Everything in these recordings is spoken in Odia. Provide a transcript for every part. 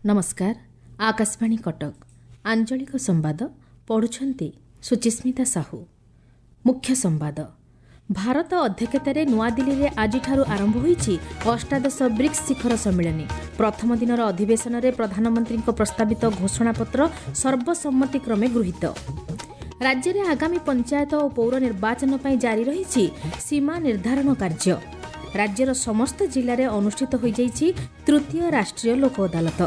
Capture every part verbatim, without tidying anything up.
ନମସ୍କାର, ଆକାଶବାଣୀ କଟକ, ଆଞ୍ଚଳିକ ସମ୍ବାଦ ପଢ଼ୁଛନ୍ତି ସୁଚିସ୍ମିତା ସାହୁ। ମୁଖ୍ୟ ସମ୍ବାଦ। ଭାରତ ଅଧ୍ୟକ୍ଷତାରେ ନୂଆଦିଲ୍ଲୀରେ ଆଜିଠାରୁ ଆରମ୍ଭ ହୋଇଛି ଅଷ୍ଟାଦଶ ବ୍ରିକ୍ସ ଶିଖର ସମ୍ମିଳନୀ। ପ୍ରଥମ ଦିନର ଅଧିବେଶନରେ ପ୍ରଧାନମନ୍ତ୍ରୀଙ୍କ ପ୍ରସ୍ତାବିତ ଘୋଷଣାପତ୍ର ସର୍ବସମ୍ମତିକ୍ରମେ ଗୃହୀତ। ରାଜ୍ୟରେ ଆଗାମୀ ପଞ୍ଚାୟତ ଓ ପୌର ନିର୍ବାଚନ ପାଇଁ ଜାରି ରହିଛି ସୀମା ନିର୍ଦ୍ଧାରଣ କାର୍ଯ୍ୟ। ରାଜ୍ୟର ସମସ୍ତ ଜିଲ୍ଲାରେ ଅନୁଷ୍ଠିତ ହୋଇଯାଇଛି ତୃତୀୟ ରାଷ୍ଟ୍ରୀୟ ଲୋକ ଅଦାଲତ।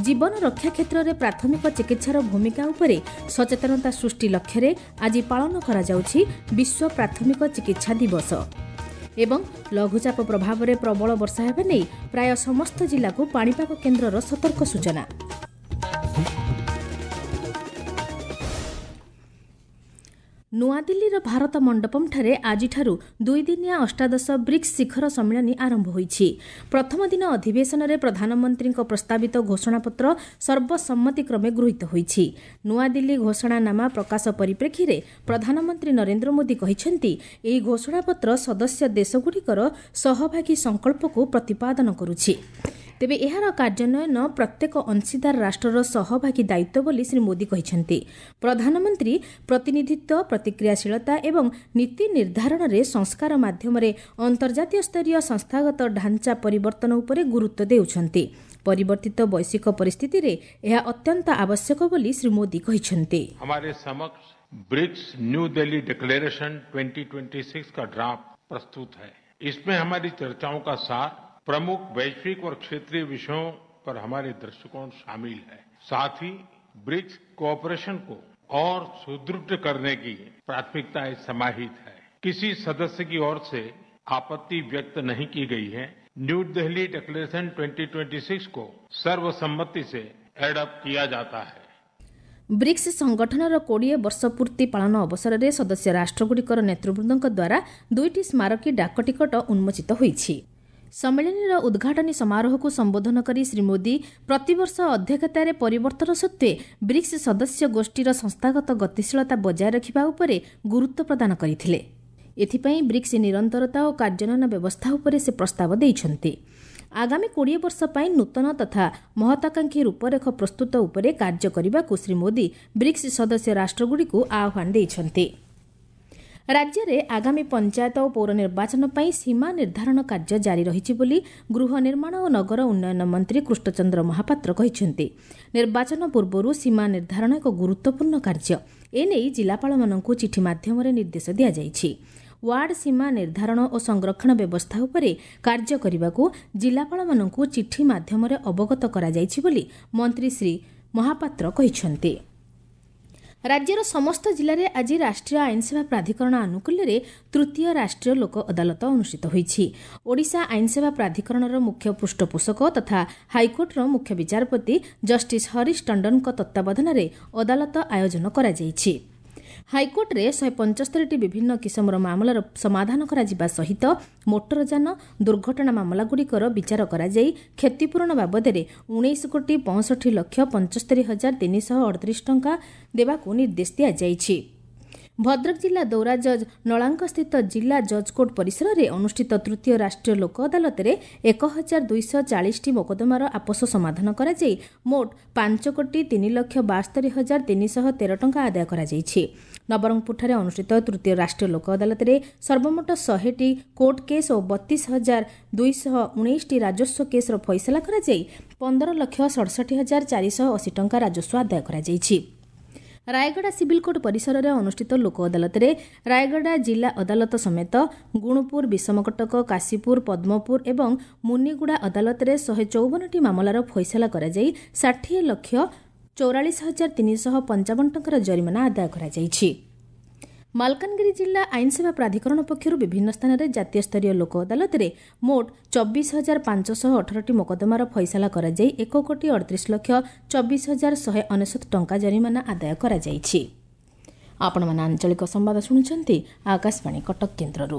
ଜୀବନ ରକ୍ଷା କ୍ଷେତ୍ରରେ ପ୍ରାଥମିକ ଚିକିତ୍ସାର ଭୂମିକା ଉପରେ ସଚେତନତା ସୃଷ୍ଟି ଲକ୍ଷ୍ୟରେ ଆଜି ପାଳନ କରାଯାଉଛି ବିଶ୍ୱ ପ୍ରାଥମିକ ଚିକିତ୍ସା ଦିବସ। ଏବଂ ଲଘୁଚାପ ପ୍ରଭାବରେ ପ୍ରବଳ ବର୍ଷା ହେବା ନେଇ ପ୍ରାୟ ସମସ୍ତ ଜିଲ୍ଲାକୁ ପାଣିପାଗ କେନ୍ଦ୍ରର ସତର୍କ ସୂଚନା। ନୂଆଦିଲ୍ଲୀର ଭାରତ ମଣ୍ଡପମ୍ଠାରେ ଆଜିଠାରୁ ଦୁଇଦିନିଆ ଅଷ୍ଟାଦଶ ବ୍ରିକ୍ସ ଶିଖର ସମ୍ମିଳନୀ ଆରମ୍ଭ ହୋଇଛି। ପ୍ରଥମ ଦିନ ଅଧିବେଶନରେ ପ୍ରଧାନମନ୍ତ୍ରୀଙ୍କ ପ୍ରସ୍ତାବିତ ଘୋଷଣାପତ୍ର ସର୍ବସମ୍ମତିକ୍ରମେ ଗୃହୀତ ହୋଇଛି। ନୂଆଦିଲ୍ଲୀ ଘୋଷଣାନାମା ପ୍ରକାଶ ପରିପ୍ରେକ୍ଷୀରେ ପ୍ରଧାନମନ୍ତ୍ରୀ ନରେନ୍ଦ୍ର ମୋଦି କହିଛନ୍ତି, ଏହି ଘୋଷଣାପତ୍ର ସଦସ୍ୟ ଦେଶଗୁଡ଼ିକର ସହଭାଗୀ ସଂକଳ୍ପକୁ ପ୍ରତିପାଦନ କରୁଛି। ତେବେ ଏହାର କାର୍ଯ୍ୟାନ୍ୱୟନ ପ୍ରତ୍ୟେକ ଅଂଶୀଦାର ରାଷ୍ଟ୍ରର ସହଭାଗୀ ଦାୟିତ୍ୱ ବୋଲି ଶ୍ରୀ ମୋଦି କହିଛନ୍ତି। ପ୍ରଧାନମନ୍ତ୍ରୀ ପ୍ରତିନିଧିତ୍ୱ, ପ୍ରତିକ୍ରିୟାଶୀଳତା ଏବଂ ନୀତି ନିର୍ଦ୍ଧାରଣରେ ସଂସ୍କାର ମାଧ୍ୟମରେ ଅନ୍ତର୍ଜାତୀୟ ସ୍ତରୀୟ ସଂସ୍ଥାଗତ ଢାଞ୍ଚା ପରିବର୍ତ୍ତନ ଉପରେ ଗୁରୁତ୍ୱ ଦେଉଛନ୍ତି। ପରିବର୍ତ୍ତିତ ବୈଶ୍ୱିକ ପରିସ୍ଥିତିରେ ଏହା ଅତ୍ୟନ୍ତ ଆବଶ୍ୟକ ବୋଲି ଶ୍ରୀ ମୋଦି କହିଛନ୍ତି। हमारे समक्ष ब्रिक्स न्यू दिल्ली डिक्लेरेशन दो हज़ार छब्बीस का ड्राफ्ट प्रस्तुत है। इसमें हमारी चर्चाओं का सार, प्रमुख वैश्विक और क्षेत्रीय विषयों पर हमारे दृष्टिकोण शामिल है। साथ ही ब्रिक्स कोऑपरेशन को और सुदृढ़ करने की प्राथमिकताएं समाहित है। किसी सदस्य की ओर से आपत्ति व्यक्त नहीं की गई है। न्यू दिल्ली डिक्लेरेशन दो हज़ार छब्बीस को सर्वसम्मति से एडॉप्ट किया जाता है। ବ୍ରିକ୍ସ ସଂଗଠନର କୋଡ଼ିଏ ବର୍ଷ ପୂର୍ତ୍ତି ପାଳନ ଅବସରରେ ସଦସ୍ୟ ରାଷ୍ଟ୍ରଗୁଡ଼ିକର ନେତୃବୃନ୍ଦଙ୍କ ଦ୍ୱାରା ଦୁଇଟି ସ୍ମାରକୀ ଡାକଟିକଟ ଉନ୍ମୋଚିତ ହୋଇଛି। ସମ୍ମିଳନୀର ଉଦ୍ଘାଟନୀ ସମାରୋହକୁ ସମ୍ବୋଧନ କରି ଶ୍ରୀ ମୋଦି ପ୍ରତିବର୍ଷ ଅଧ୍ୟକ୍ଷତାରେ ପରିବର୍ତ୍ତନ ସତ୍ତ୍ୱେ ବ୍ରିକ୍ସ ସଦସ୍ୟ ଗୋଷ୍ଠୀର ସଂସ୍ଥାଗତ ଗତିଶୀଳତା ବଜାୟ ରଖିବା ଉପରେ ଗୁରୁତ୍ୱ ପ୍ରଦାନ କରିଥିଲେ। ଏଥିପାଇଁ ବ୍ରିକ୍ସ ନିରନ୍ତରତା ଓ କାର୍ଯ୍ୟାନ୍ୱୟନ ବ୍ୟବସ୍ଥା ଉପରେ ସେ ପ୍ରସ୍ତାବ ଦେଇଛନ୍ତି। ଆଗାମୀ କୋଡ଼ିଏ ବର୍ଷ ପାଇଁ ନୂତନ ତଥା ମହତ୍ୱାକାଂକ୍ଷୀ ରୂପରେଖ ପ୍ରସ୍ତୁତ ଉପରେ କାର୍ଯ୍ୟ କରିବାକୁ ଶ୍ରୀ ମୋଦି ବ୍ରିକ୍ସ ସଦସ୍ୟ ରାଷ୍ଟ୍ରଗୁଡ଼ିକୁ ଆହ୍ୱାନ ଦେଇଛନ୍ତି। ରାଜ୍ୟରେ ଆଗାମୀ ପଞ୍ଚାୟତ ଓ ପୌର ନିର୍ବାଚନ ପାଇଁ ସୀମା ନିର୍ଦ୍ଧାରଣ କାର୍ଯ୍ୟ ଜାରି ରହିଛି ବୋଲି ଗୃହ ନିର୍ମାଣ ଓ ନଗର ଉନ୍ନୟନ ମନ୍ତ୍ରୀ କୃଷ୍ଣଚନ୍ଦ୍ର ମହାପାତ୍ର କହିଛନ୍ତି। ନିର୍ବାଚନ ପୂର୍ବରୁ ସୀମା ନିର୍ଦ୍ଧାରଣ ଏକ ଗୁରୁତ୍ୱପୂର୍ଣ୍ଣ କାର୍ଯ୍ୟ। ଏନେଇ ଜିଲ୍ଲାପାଳମାନଙ୍କୁ ଚିଠି ମାଧ୍ୟମରେ ନିର୍ଦ୍ଦେଶ ଦିଆଯାଇଛି। ୱାର୍ଡ ସୀମା ନିର୍ଦ୍ଧାରଣ ଓ ସଂରକ୍ଷଣ ବ୍ୟବସ୍ଥା ଉପରେ କାର୍ଯ୍ୟ କରିବାକୁ ଜିଲ୍ଲାପାଳମାନଙ୍କୁ ଚିଠି ମାଧ୍ୟମରେ ଅବଗତ କରାଯାଇଛି ବୋଲି ମନ୍ତ୍ରୀ ଶ୍ରୀ ମହାପାତ୍ର କହିଛନ୍ତି। ରାଜ୍ୟର ସମସ୍ତ ଜିଲ୍ଲାରେ ଆଜି ରାଷ୍ଟ୍ରୀୟ ଆଇନସେବା ପ୍ରାଧିକରଣ ଆନୁକୂଲ୍ୟରେ ତୃତୀୟ ରାଷ୍ଟ୍ରୀୟ ଲୋକ ଅଦାଲତ ଅନୁଷ୍ଠିତ ହୋଇଛି। ଓଡ଼ିଶା ଆଇନସେବା ପ୍ରାଧିକରଣର ମୁଖ୍ୟ ପୃଷ୍ଠପୋଷକ ତଥା ହାଇକୋର୍ଟର ମୁଖ୍ୟ ବିଚାରପତି ଜଷ୍ଟିସ୍ ହରିଶ ଟଣ୍ଡନଙ୍କ ତତ୍ତ୍ୱାବଧାନରେ ଅଦାଲତ ଆୟୋଜନ କରାଯାଇଛି। ହାଇକୋର୍ଟରେ ଶହେ ପଞ୍ଚସ୍ତରୀଟି ବିଭିନ୍ନ କିସମର ମାମଲାର ସମାଧାନ କରାଯିବା ସହିତ ମୋଟରଯାନ ଦୁର୍ଘଟଣା ମାମଲାଗୁଡ଼ିକର ବିଚାର କରାଯାଇ କ୍ଷତିପୂରଣ ବାବଦରେ ଉଣେଇଶ କୋଟି ପଞ୍ଚଷଠି ଲକ୍ଷ ପଞ୍ଚସ୍ତରୀ ହଜାର ତିନିଶହ ଅଠତିରିଶ ଟଙ୍କା ଦେବାକୁ ନିର୍ଦ୍ଦେଶ ଦିଆଯାଇଛି। ଭଦ୍ରକ ଜିଲ୍ଲା ଦୌରା ଜଜ୍ ନଳାଙ୍କସ୍ଥିତ ଜିଲ୍ଲା ଜଜ୍ କୋର୍ଟ ପରିସରରେ ଅନୁଷ୍ଠିତ ତୃତୀୟ ରାଷ୍ଟ୍ରୀୟ ଲୋକ ଅଦାଲତରେ ଏକ ହଜାର ଦୁଇଶହ ଚାଳିଶଟି ମୋକଦ୍ଦମାର ଆପୋଷ ସମାଧାନ କରାଯାଇ ମୋଟ ପାଞ୍ଚ କୋଟି ତିନି ଲକ୍ଷ ବାସ୍ତରୀ ହଜାର ତିନିଶହ ତେର ଟଙ୍କା ଆଦାୟ କରାଯାଇଛି। ନବରଙ୍ଗପୁରଠାରେ ଅନୁଷ୍ଠିତ ତୃତୀୟ ରାଷ୍ଟ୍ରୀୟ ଲୋକ ଅଦାଲତରେ ସର୍ବମୋଟ ଶହେଟି କୋର୍ଟ କେସ୍ ଓ ବତିଶ ହଜାର ଦୁଇଶହ ଉଣେଇଶଟି ରାଜସ୍ୱ କେସ୍ର ଫଇସଲା କରାଯାଇ ପନ୍ଦର ଲକ୍ଷ ସଡ଼ଷଠି ହଜାର ଚାରିଶହ ଅଶୀ ଟଙ୍କା ରାଜସ୍ୱ ଆଦାୟ କରାଯାଇଛି। ରାୟଗଡ଼ା ସିଭିଲ୍ କୋର୍ଟ ପରିସରରେ ଅନୁଷ୍ଠିତ ଲୋକ ଅଦାଲତରେ ରାୟଗଡ଼ା ଜିଲ୍ଲା ଅଦାଲତ ସମେତ ଗୁଣୁପୁର, ବିଷମକଟକ, କାଶୀପୁର, ପଦ୍ମପୁର ଏବଂ ମୁନିଗୁଡ଼ା ଅଦାଲତରେ ଶହେ ଚଉବନଟି ମାମଲାର ଫଇସଲା କରାଯାଇ ଷାଠିଏ ଲକ୍ଷ ଚଉରାଳିଶ ହଜାର ତିନିଶହ ପଞ୍ଚାବନ ଟଙ୍କାର ଜରିମାନା ଆଦାୟ କରାଯାଇଛି। ମାଲକାନଗିରି ଜିଲ୍ଲା ଆଇନସେବା ପ୍ରାଧିକରଣ ପକ୍ଷରୁ ବିଭିନ୍ନ ସ୍ଥାନରେ ଜାତୀୟ ସ୍ତରୀୟ ଲୋକ ଅଦାଲତରେ ମୋଟ ଚବିଶ ହଜାର ପାଞ୍ଚଶହ ଅଠରଟି ମୋକଦ୍ଦମାର ଫଇସଲା କରାଯାଇ ଏକ କୋଟି ଅଡ଼ତିରିଶ ଲକ୍ଷ ଚବିଶ ହଜାର ଶହେ ଅନେଶତ ଟଙ୍କା ଜରିମାନା ଆଦାୟ କରାଯାଇଛି। ଆପଣମାନେ ଆଞ୍ଚଳିକ ସମ୍ବାଦ ଶୁଣୁଛନ୍ତି ଆକାଶବାଣୀ କଟକ କେନ୍ଦ୍ରରୁ।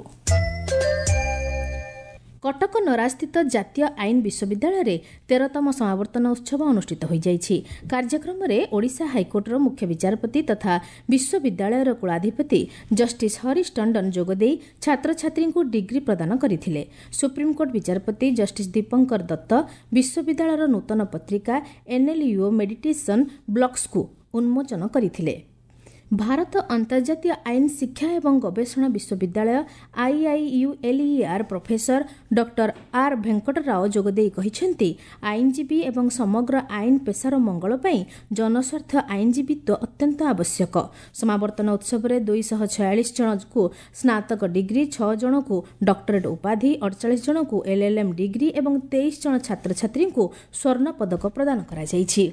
କଟକ ନରାଜସ୍ଥିତ ଜାତୀୟ ଆଇନ ବିଶ୍ୱବିଦ୍ୟାଳୟରେ ତେରତମ ସମାବର୍ତ୍ତନ ଉତ୍ସବ ଅନୁଷ୍ଠିତ ହୋଇଯାଇଛି। କାର୍ଯ୍ୟକ୍ରମରେ ଓଡ଼ିଶା ହାଇକୋର୍ଟର ମୁଖ୍ୟ ବିଚାରପତି ତଥା ବିଶ୍ୱବିଦ୍ୟାଳୟର କୁଳାଧିପତି ଜଷ୍ଟିସ୍ ହରିଶ ଟଣ୍ଡନ ଯୋଗଦେଇ ଛାତ୍ରଛାତ୍ରୀଙ୍କୁ ଡିଗ୍ରୀ ପ୍ରଦାନ କରିଥିଲେ। ସୁପ୍ରିମକୋର୍ଟ ବିଚାରପତି ଜଷ୍ଟିସ୍ ଦୀପଙ୍କର ଦତ୍ତ ବିଶ୍ୱବିଦ୍ୟାଳୟର ନୂତନ ପତ୍ରିକା ଏନ୍ଏଲ୍ୟୁଓ ମେଡିଟେସନ୍ ବ୍ଲକ୍ସକୁ ଉନ୍ମୋଚନ କରିଥିଲେ। ଭାରତ ଅନ୍ତର୍ଜାତୀୟ ଆଇନ ଶିକ୍ଷା ଏବଂ ଗବେଷଣା ବିଶ୍ୱବିଦ୍ୟାଳୟ ଆଇଆଇୟୁଏଲ୍ଇଆର୍ ପ୍ରଫେସର ଡକ୍ଟର ଆର୍ ଭେଙ୍କଟରାଓ ଯୋଗଦେଇ କହିଛନ୍ତି, ଆଇନଜୀବୀ ଏବଂ ସମଗ୍ର ଆଇନ ପେସାର ମଙ୍ଗଳ ପାଇଁ ଜନସ୍ୱାର୍ଥ ଆଇନଜୀବୀତ୍ୱ ଅତ୍ୟନ୍ତ ଆବଶ୍ୟକ। ସମାବର୍ତ୍ତନ ଉତ୍ସବରେ ଦୁଇଶହ ଛୟାଳିଶ ଜଣଙ୍କୁ ସ୍ନାତକ ଡିଗ୍ରୀ, ଛଅ ଜଣଙ୍କୁ ଡକ୍ଟରେଟ୍ ଉପାଧି, ଅଡ଼ଚାଳିଶ ଜଣଙ୍କୁ ଏଲ୍ଏଲ୍ଏମ୍ ଡିଗ୍ରୀ ଏବଂ ତେଇଶ ଜଣ ଛାତ୍ରଛାତ୍ରୀଙ୍କୁ ସ୍ୱର୍ଣ୍ଣ ପଦକ ପ୍ରଦାନ କରାଯାଇଛି।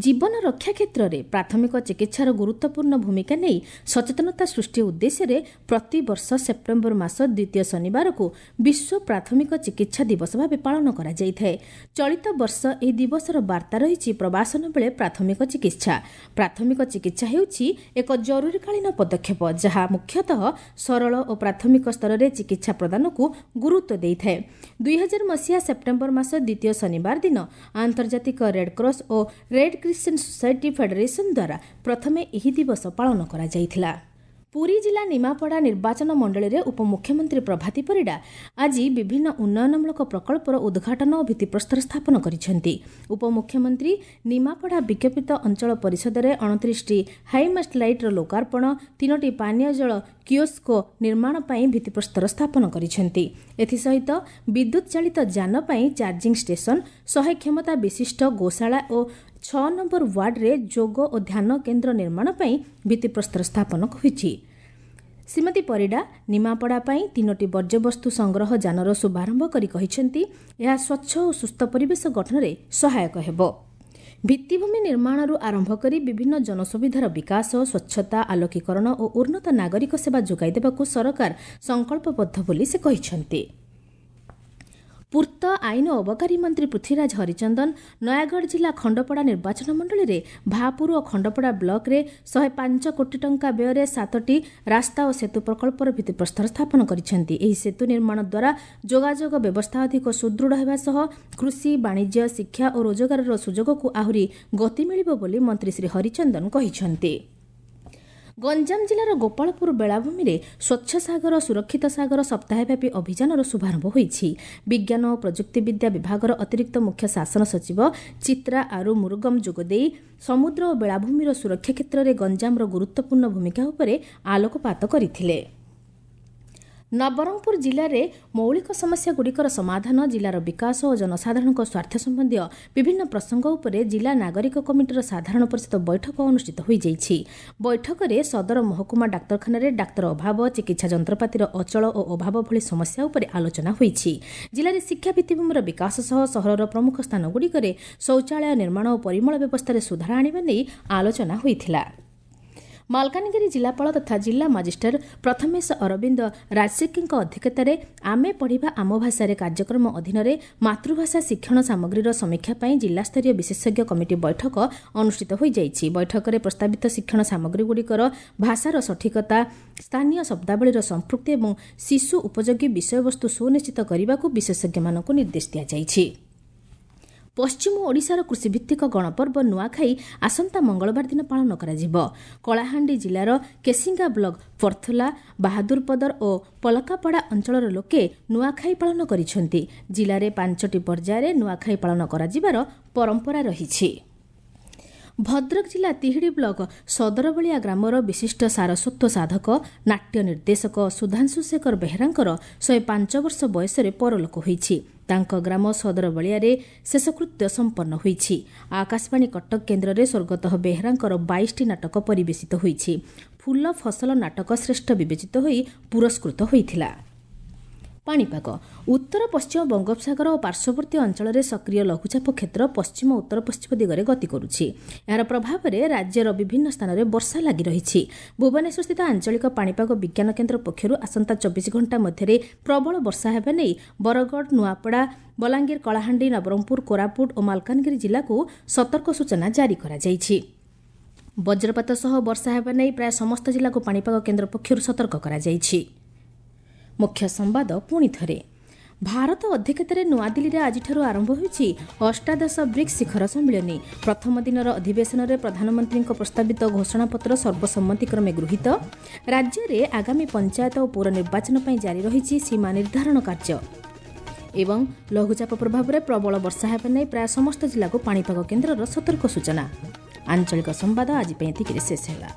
ଜୀବନ ରକ୍ଷା କ୍ଷେତ୍ରରେ ପ୍ରାଥମିକ ଚିକିତ୍ସାର ଗୁରୁତ୍ୱପୂର୍ଣ୍ଣ ଭୂମିକା ନେଇ ସଚେତନତା ସୃଷ୍ଟି ଉଦ୍ଦେଶ୍ୟରେ ପ୍ରତିବର୍ଷ ସେପ୍ଟେମ୍ବର ମାସ ଦ୍ୱିତୀୟ ଶନିବାରକୁ ବିଶ୍ୱ ପ୍ରାଥମିକ ଚିକିତ୍ସା ଦିବସ ଭାବେ ପାଳନ କରାଯାଇଥାଏ। ଚଳିତ ବର୍ଷ ଏହି ଦିବସର ବାର୍ତ୍ତା ରହିଛି ପ୍ରବାସନ ବେଳେ ପ୍ରାଥମିକ ଚିକିତ୍ସା। ପ୍ରାଥମିକ ଚିକିତ୍ସା ହେଉଛି ଏକ ଜରୁରୀକାଳୀନ ପଦକ୍ଷେପ, ଯାହା ମୁଖ୍ୟତଃ ସରଳ ଓ ପ୍ରାଥମିକ ସ୍ତରରେ ଚିକିତ୍ସା ପ୍ରଦାନକୁ ଗୁରୁତ୍ୱ ଦେଇଥାଏ। ଦୁଇହଜାର ମସିହା ସେପ୍ଟେମ୍ବର ମାସ ଦ୍ୱିତୀୟ ଶନିବାର ଦିନ ଆନ୍ତର୍ଜାତିକ ରେଡ୍କ୍ରସ୍ ଓ ରେଡ୍ କ୍ରିସେଣ୍ଟ ସୋସାଇଟି ଫେଡେରେସନ ଦ୍ୱାରା ପ୍ରଥମେ ଏହି ଦିବସ ପାଳନ କରାଯାଇଥିଲା। ପୁରୀ ଜିଲ୍ଲା ନିମାପଡ଼ା ନିର୍ବାଚନ ମଣ୍ଡଳୀରେ ଉପମୁଖ୍ୟମନ୍ତ୍ରୀ ପ୍ରଭାତୀ ପରିଡ଼ା ଆଜି ବିଭିନ୍ନ ଉନ୍ନୟନମୂଳକ ପ୍ରକଳ୍ପର ଉଦ୍ଘାଟନ ଓ ଭିତ୍ତିପ୍ରସ୍ତର ସ୍ଥାପନ କରିଛନ୍ତି। ଉପମୁଖ୍ୟମନ୍ତ୍ରୀ ନିମାପଡ଼ା ବିଜ୍ଞାପିତ ଅଞ୍ଚଳ ପରିଷଦରେ ଅଣତିରିଶଟି ହାଇମାଷ୍ଟ ଲାଇଟ୍ର ଲୋକାର୍ପଣ, ତିନୋଟି ପାନୀୟ ଜଳ କିଓସ୍କୋ ନିର୍ମାଣ ପାଇଁ ଭିତ୍ତିପ୍ରସ୍ତର ସ୍ଥାପନ କରିଛନ୍ତି। ଏଥିସହିତ ବିଦ୍ୟୁତ୍ ଚାଳିତ ଯାନ ପାଇଁ ଚାର୍ଜିଂ ଷ୍ଟେସନ, ଶହେ କ୍ଷମତା ବିଶିଷ୍ଟ ଗୋଶାଳା ଓ ଛଅ ନମ୍ବର ୱାର୍ଡରେ ଯୋଗ ଓ ଧ୍ୟାନ କେନ୍ଦ୍ର ନିର୍ମାଣ ପାଇଁ ଭିତ୍ତିପ୍ରସ୍ତର ସ୍ଥାପନ ହୋଇଛି। ଶ୍ରୀମତୀ ପରିଡ଼ା ନିମାପଡ଼ା ପାଇଁ ତିନୋଟି ବର୍ଜ୍ୟବସ୍ତୁ ସଂଗ୍ରହ ଯାନର ଶୁଭାରମ୍ଭ କରି କହିଛନ୍ତି, ଏହା ସ୍ୱଚ୍ଛ ଓ ସୁସ୍ଥ ପରିବେଶ ଗଠନରେ ସହାୟକ ହେବ। ଭିତ୍ତିଭୂମି ନିର୍ମାଣରୁ ଆରମ୍ଭ କରି ବିଭିନ୍ନ ଜନସୁବିଧାର ବିକାଶ, ସ୍ୱଚ୍ଛତା, ଆଲୋକୀକରଣ ଓ ଉନ୍ନତ ନାଗରିକ ସେବା ଯୋଗାଇ ଦେବାକୁ ସରକାର ସଂକଳ୍ପବଦ୍ଧ ବୋଲି ସେ କହିଛନ୍ତି। ପୂର୍ତ୍ତ, ଆଇନ ଓ ଅବକାରୀ ମନ୍ତ୍ରୀ ପୃଥ୍ୱୀରାଜ ହରିଚନ୍ଦନ ନୟାଗଡ଼ ଜିଲ୍ଲା ଖଣ୍ଡପଡ଼ା ନିର୍ବାଚନ ମଣ୍ଡଳୀରେ ଭାପୁର ଓ ଖଣ୍ଡପଡ଼ା ବ୍ଲକରେ ଶହେ ପାଞ୍ଚ କୋଟି ଟଙ୍କା ବ୍ୟୟରେ ସାତଟି ରାସ୍ତା ଓ ସେତୁ ପ୍ରକଳ୍ପର ଭିତ୍ତିପ୍ରସ୍ତର ସ୍ଥାପନ କରିଛନ୍ତି। ଏହି ସେତୁ ନିର୍ମାଣ ଦ୍ୱାରା ଯୋଗାଯୋଗ ବ୍ୟବସ୍ଥା ଅଧିକ ସୁଦୃଢ଼ ହେବା ସହ କୃଷି, ବାଣିଜ୍ୟ, ଶିକ୍ଷା ଓ ରୋଜଗାରର ସୁଯୋଗକୁ ଆହୁରି ଗତି ମିଳିବ ବୋଲି ମନ୍ତ୍ରୀ ଶ୍ରୀ ହରିଚନ୍ଦନ କହିଛନ୍ତି। ଗଞ୍ଜାମ ଜିଲ୍ଲାର ଗୋପାଳପୁର ବେଳାଭୂମିରେ ସ୍ୱଚ୍ଛ ସାଗର ସୁରକ୍ଷିତ ସାଗର ସପ୍ତାହବ୍ୟାପୀ ଅଭିଯାନର ଶୁଭାରମ୍ଭ ହୋଇଛି। ବିଜ୍ଞାନ ଓ ପ୍ରଯୁକ୍ତିବିଦ୍ୟା ବିଭାଗର ଅତିରିକ୍ତ ମୁଖ୍ୟ ଶାସନ ସଚିବ ଚିତ୍ରା ଆରୁ ମୁରୁଗମ ଯୋଗଦେଇ ସମୁଦ୍ର ଓ ବେଳାଭୂମିର ସୁରକ୍ଷା କ୍ଷେତ୍ରରେ ଗଞ୍ଜାମର ଗୁରୁତ୍ୱପୂର୍ଣ୍ଣ ଭୂମିକା ଉପରେ ଆଲୋକପାତ କରିଥିଲେ। ନବରଙ୍ଗପୁର ଜିଲ୍ଲାରେ ମୌଳିକ ସମସ୍ୟାଗୁଡ଼ିକର ସମାଧାନ, ଜିଲ୍ଲାର ବିକାଶ ଓ ଜନସାଧାରଣଙ୍କ ସ୍ୱାର୍ଥ ସମ୍ବନ୍ଧୀୟ ବିଭିନ୍ନ ପ୍ରସଙ୍ଗ ଉପରେ ଜିଲ୍ଲା ନାଗରିକ କମିଟିର ସାଧାରଣ ପରିଷଦ ବୈଠକ ଅନୁଷ୍ଠିତ ହୋଇଯାଇଛି। ବୈଠକରେ ସଦର ମହକୁମା ଡାକ୍ତରଖାନାରେ ଡାକ୍ତର ଅଭାବ, ଚିକିତ୍ସା ଯନ୍ତ୍ରପାତିର ଅଚଳ ଓ ଅଭାବ ଭଳି ସମସ୍ୟା ଉପରେ ଆଲୋଚନା ହୋଇଛି। ଜିଲ୍ଲାରେ ଶିକ୍ଷା ଭିତ୍ତିଭୂମିର ବିକାଶ ସହ ସହରର ପ୍ରମୁଖ ସ୍ଥାନଗୁଡ଼ିକରେ ଶୌଚାଳୟ ନିର୍ମାଣ ଓ ପରିମଳ ବ୍ୟବସ୍ଥାରେ ସୁଧାର ଆଣିବା ନେଇ ଆଲୋଚନା ହୋଇଥିଲା। ମାଲକାନଗିରି ଜିଲ୍ଲାପାଳ ତଥା ଜିଲ୍ଲା ମାଜିଷ୍ଟ୍ରେଟ୍ ପ୍ରଥମେଶ ଅରବିନ୍ଦ ରାଜଶେଖୀଙ୍କ ଅଧ୍ୟକ୍ଷତାରେ ଆମେ ପଢ଼ିବା ଆମ ଭାଷାରେ କାର୍ଯ୍ୟକ୍ରମ ଅଧୀନରେ ମାତୃଭାଷା ଶିକ୍ଷଣ ସାମଗ୍ରୀର ସମୀକ୍ଷା ପାଇଁ ଜିଲ୍ଲାସ୍ତରୀୟ ବିଶେଷଜ୍ଞ କମିଟି ବୈଠକ ଅନୁଷ୍ଠିତ ହୋଇଯାଇଛି। ବୈଠକରେ ପ୍ରସ୍ତାବିତ ଶିକ୍ଷଣ ସାମଗ୍ରୀଗୁଡ଼ିକର ଭାଷାର ସଠିକତା, ସ୍ଥାନୀୟ ଶବ୍ଦାବଳୀର ସମ୍ପୃକ୍ତି ଏବଂ ଶିଶୁ ଉପଯୋଗୀ ବିଷୟବସ୍ତୁ ସୁନିଶ୍ଚିତ କରିବାକୁ ବିଶେଷଜ୍ଞମାନଙ୍କୁ ନିର୍ଦ୍ଦେଶ ଦିଆଯାଇଛି। ପଶ୍ଚିମ ଓଡ଼ିଶାର କୃଷିଭିତ୍ତିକ ଗଣପର୍ବ ନୂଆଖାଇ ଆସନ୍ତା ମଙ୍ଗଳବାର ଦିନ ପାଳନ କରାଯିବ। କଳାହାଣ୍ଡି ଜିଲ୍ଲାର କେସିଙ୍ଗା ବ୍ଲକ ପର୍ଥଲା, ବାହାଦୁରପଦର ଓ ପଲକାପଡ଼ା ଅଞ୍ଚଳର ଲୋକେ ନୂଆଖାଇ ପାଳନ କରିଛନ୍ତି। ଜିଲ୍ଲାରେ ପାଞ୍ଚଟି ପର୍ଯ୍ୟାୟରେ ନୂଆଖାଇ ପାଳନ କରାଯିବାର ପରମ୍ପରା ରହିଛି। ଭଦ୍ରକ ଜିଲ୍ଲା ତିହିଡ଼ି ବ୍ଲକ ସଦରବଳିଆ ଗ୍ରାମର ବିଶିଷ୍ଟ ସାରସ୍ୱତ ସାଧକ, ନାଟ୍ୟ ନିର୍ଦ୍ଦେଶକ ସୁଧାଂଶୁ ଶେଖର ବେହେରାଙ୍କର ଶହେ ପାଞ୍ଚ ବର୍ଷ ବୟସରେ ପରଲୋକ ହୋଇଛି। ତାଙ୍କ ଗ୍ରାମ ସଦରବଳିଆରେ ଶେଷକୃତ୍ୟ ସମ୍ପନ୍ନ ହୋଇଛି। ଆକାଶବାଣୀ କଟକ କେନ୍ଦ୍ରରେ ସ୍ୱର୍ଗତଃ ବେହେରାଙ୍କର ବାଇଶଟି ନାଟକ ପରିବେଶିତ ହୋଇଛି। ଫୁଲ ଫସଲ ନାଟକ ଶ୍ରେଷ୍ଠ ବିବେଚିତ ହୋଇ ପୁରସ୍କୃତ ହୋଇଥିଲା। ପାଣିପାଗ। ଉତ୍ତର ପଶ୍ଚିମ ବଙ୍ଗୋପସାଗର ଓ ପାର୍ଶ୍ୱବର୍ତ୍ତୀ ଅଞ୍ଚଳରେ ସକ୍ରିୟ ଲଘୁଚାପ କ୍ଷେତ୍ର ପଶ୍ଚିମ ଉତ୍ତର ପଶ୍ଚିମ ଦିଗରେ ଗତି କରୁଛି। ଏହାର ପ୍ରଭାବରେ ରାଜ୍ୟର ବିଭିନ୍ନ ସ୍ଥାନରେ ବର୍ଷା ଲାଗି ରହିଛି। ଭୁବନେଶ୍ୱରସ୍ଥିତ ଆଞ୍ଚଳିକ ପାଣିପାଗ ବିଜ୍ଞାନ କେନ୍ଦ୍ର ପକ୍ଷରୁ ଆସନ୍ତା ଚବିଶ ଘଣ୍ଟା ମଧ୍ୟରେ ପ୍ରବଳ ବର୍ଷା ହେବା ନେଇ ବରଗଡ଼, ନୂଆପଡ଼ା, ବଲାଙ୍ଗୀର, କଳାହାଣ୍ଡି, ନବରଙ୍ଗପୁର, କୋରାପୁଟ ଓ ମାଲକାନଗିରି ଜିଲ୍ଲାକୁ ସତର୍କ ସୂଚନା ଜାରି କରାଯାଇଛି। ବଜ୍ରପାତ ସହ ବର୍ଷା ହେବା ନେଇ ପ୍ରାୟ ସମସ୍ତ ଜିଲ୍ଲାକୁ ପାଣିପାଗ କେନ୍ଦ୍ର ପକ୍ଷରୁ ସତର୍କ କରାଯାଇଛି। ମୁଖ୍ୟ ସମ୍ବାଦ ପୁଣି ଥରେ। ଭାରତ ଅଧ୍ୟକ୍ଷତାରେ ନୂଆଦିଲ୍ଲୀରେ ଆଜିଠାରୁ ଆରମ୍ଭ ହୋଇଛି ଅଷ୍ଟାଦଶ ବ୍ରିକ୍ସ ଶିଖର ସମ୍ମିଳନୀ। ପ୍ରଥମ ଦିନର ଅଧିବେଶନରେ ପ୍ରଧାନମନ୍ତ୍ରୀଙ୍କ ପ୍ରସ୍ତାବିତ ଘୋଷଣାପତ୍ର ସର୍ବସମ୍ମତିକ୍ରମେ ଗୃହୀତ। ରାଜ୍ୟରେ ଆଗାମୀ ପଞ୍ଚାୟତ ଓ ପୌର ନିର୍ବାଚନ ପାଇଁ ଜାରି ରହିଛି ସୀମା ନିର୍ଦ୍ଧାରଣ କାର୍ଯ୍ୟ। ଏବଂ ଲଘୁଚାପ ପ୍ରଭାବରେ ପ୍ରବଳ ବର୍ଷା ହେବା ନେଇ ପ୍ରାୟ ସମସ୍ତ ଜିଲ୍ଲାକୁ ପାଣିପାଗ କେନ୍ଦ୍ରର ସତର୍କ ସୂଚନା। ଆଞ୍ଚଳିକ ସମ୍ବାଦ ଆଜି ପାଇଁ ଏତିକିରେ ଶେଷ ହେଲା।